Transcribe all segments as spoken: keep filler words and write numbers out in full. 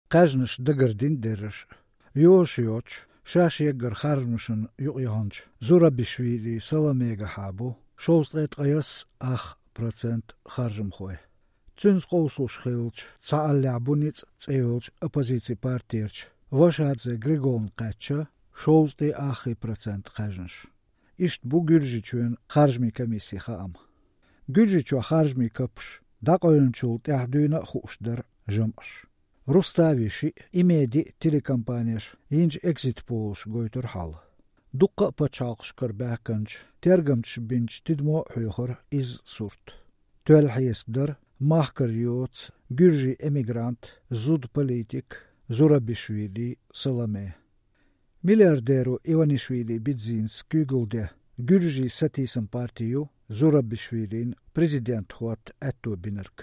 кхаьжнаш дагардина дерриш а. Йозуш йоцуш, шаьш еггара харжамашна юкъаяханчу Зурабишвили Саламегахьа бу шовзткъе ткъаяссу ах процент харжамхой. Цуьнца къовсалуш хиллачу «Цхьааллехь бу ницкъ» цӀе йолчу оппозицин партерчу Вашадзе Григолна кхаьчна шовзткъе аххе процент кхаьжнаш. Иштта бу Гуьржийчоьнан харжамийн комиссин хаам. Гуьржийчохь харжамийн капаш дӀакъевлинчул тӀаьхьа дуьйна а хууш дара жамӀаш. Рустави шиъ, Имеди а телекомпанеш йинчу экзит-полаша гойтура хьал. Дуккха а пачхьалкхашкара баьхкинчу тергамчаша бинчу тидамо а хьоьхура изза сурт. Тоьлла хьесап дара махкара йоцу гуьржийн эмигрант, зуда политик Зурабишвили Саламе. Миллиардеро Иванишвили Бидзинас куьйгалла ден гуьржийн сатийсам парти ю Зурабишвилина президентан хӀотта аьтто бинарг.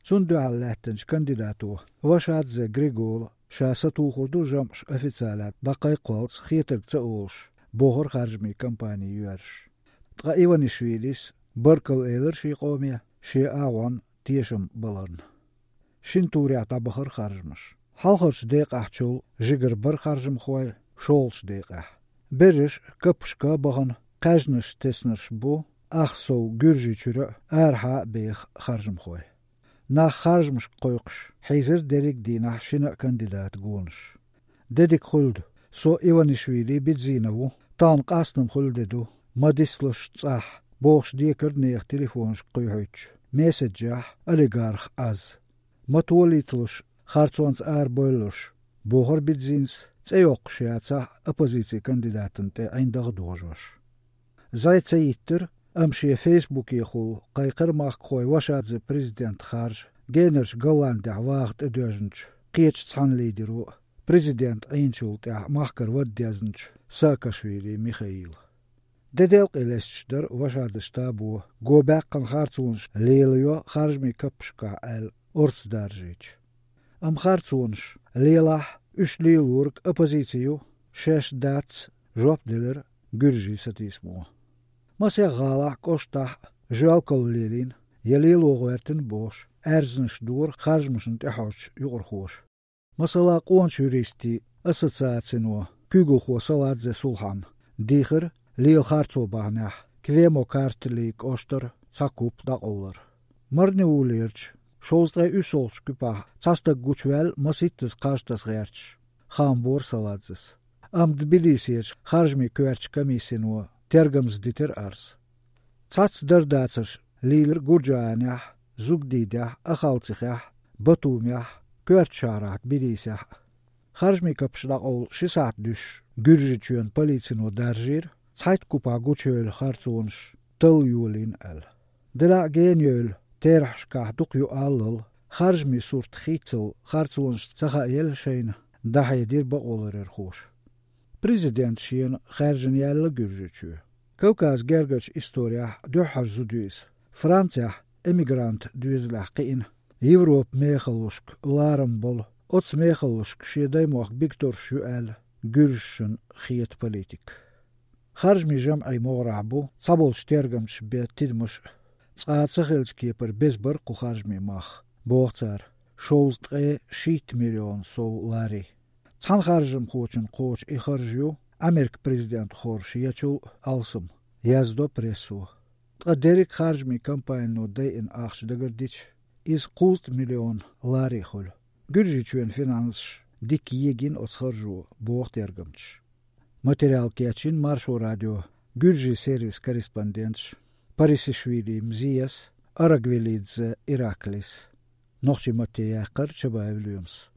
Цунна дуьхьал лаьттинчу кандидато Вашадзе Григола ша сатухур ду жамӀаш официалехь дӀакхайкхалц хетарг ца олуш, бохура харжамийн кампани йоьрзуш. Ткъа Иванишвилис баркалла элира шен къоме шен агӀонна тешам баларна. Шина турехь дӀабахара харжамаш. Хьалхарчу декъехьчул жигара бара харжамхой шолгӀачу декъехь. Берриш а капашка а бахана, кхаьжнаш теснарш бу ах сов Гуьржийчуьра а, арахьа а беха харжамхой. Нах харжамашка кхойкхуш хьийзира дерриг а дийнахь шина а кандидатан гонаш. «Де дика хуьлда, со Иванишвили Бидзина ву, тахана къастам хуьлу де ду, ма дислалаш цӀахь», — бохуш декара нехан телефонашка кхуьйхьуьйтучу месседжехь олигарх Ӏаз. «Ма толийталаш, харцонца арабевллалаш», — бохура Бидзинас, цӀе йоккхуш яцахь а, оппозицин кандидатана тӀе ӀиндагӀ а дожош. Зай ца йиттира, амма шен фейсбукехула кхайкхира махкахой Вашадзе президент харжа генарчу Голландехь ваха тӀедоьжначу кхечу цхьана лидеро а, президент Ӏийначул тӀаьхьа махкара вада дезначу Саакашвили Михаила. Де делкъе лесташ дара Вашадзе штабо го баьккхина харцонаш лелайо харжамийн каппашкахь аьлла, орца даржийча. Амма харцонаш лелахь а, уьш лелориг оппозици ю, шаьш дац, жоп делира гуьржийн сатийсамо. Масех гӀалахь а, кӀоштахь а жоьлкалла лелийна я лело гӀоьртина бохуш, аьрзнаш дора харжамашна тӀехьожучу юкъархоша. Масала, къоначу юристийн ассоциацино куьйгалхо Саладзе Сулхьана дийхира лела харцо бахьанехь Квемо-Картли кӀоштара цхьа куп дӀакъовлар. Марни уллерчу шовзткъе уьссалгӀачу куьпахь цхьа стаг гучуваьлла масийттаза кхаж таса гӀерташ, хаам бора Саладзес. Амма Тбилисерчу харжамийн коьртачу комиссино тергамза дитира арз. Цхьацца дардацарш лийлира Гуржаанехь, Зугдидехь, Ахалцихехь, Батумехь, коьртачу шахьарахь Тбилисехь а. Харжамийн капаш дӀакъовла ши сахьт дуьсуш, Гуьржийчоьнан полицино даржийра, цхьайтта купахь гучуевлла харцонаш талла йолийна аьлла. Делахь а генайевлла, терахьашкахь дукха ю аллал, харжамийн сурт хийцал харцонаш ца хаъелла шайна, дӀахьедира бакъоларъярхоша. Президента шена хаьржина яьлла Гуьржийчоь. Кавказан гергарчу исторехь дуьххьара зуда ю иза. Францехь эмигрантан доьзалехь кхиъна, Европан мехаллашка ларам болу, оцу мехаллашка шен даймохк бигторш ю аьлла, гуьржашна хета политик. Харжамийн жамӀийн могӀарехь бу цхьаболчу тергамчаша бен тидамаш а. Цкъа а ца хиллачу кепара беза бара кху харжамийн мах, боху цара, шовзткъе шийтта миллион сов лари. Цхьана харжамхочунна кхочу и харж ю Америкин президент хоржуш ечул а алсам, яздо прессо. Ткъа дерриг а харжамийн кампанино дайина ахча дагардича, иза кхузткъа миллион лари хуьлу. Гуьржийчоьнан финансаш дика егина оцу харжо, боху тергамчаша. Материал кечйина Маршо радион Гуьржийн сервисан корреспонденташа Парисишвили Мзияс а, Арагвелидзе Ираклис а. Нохчийн матте яьккхира Чабаев Лоьмас.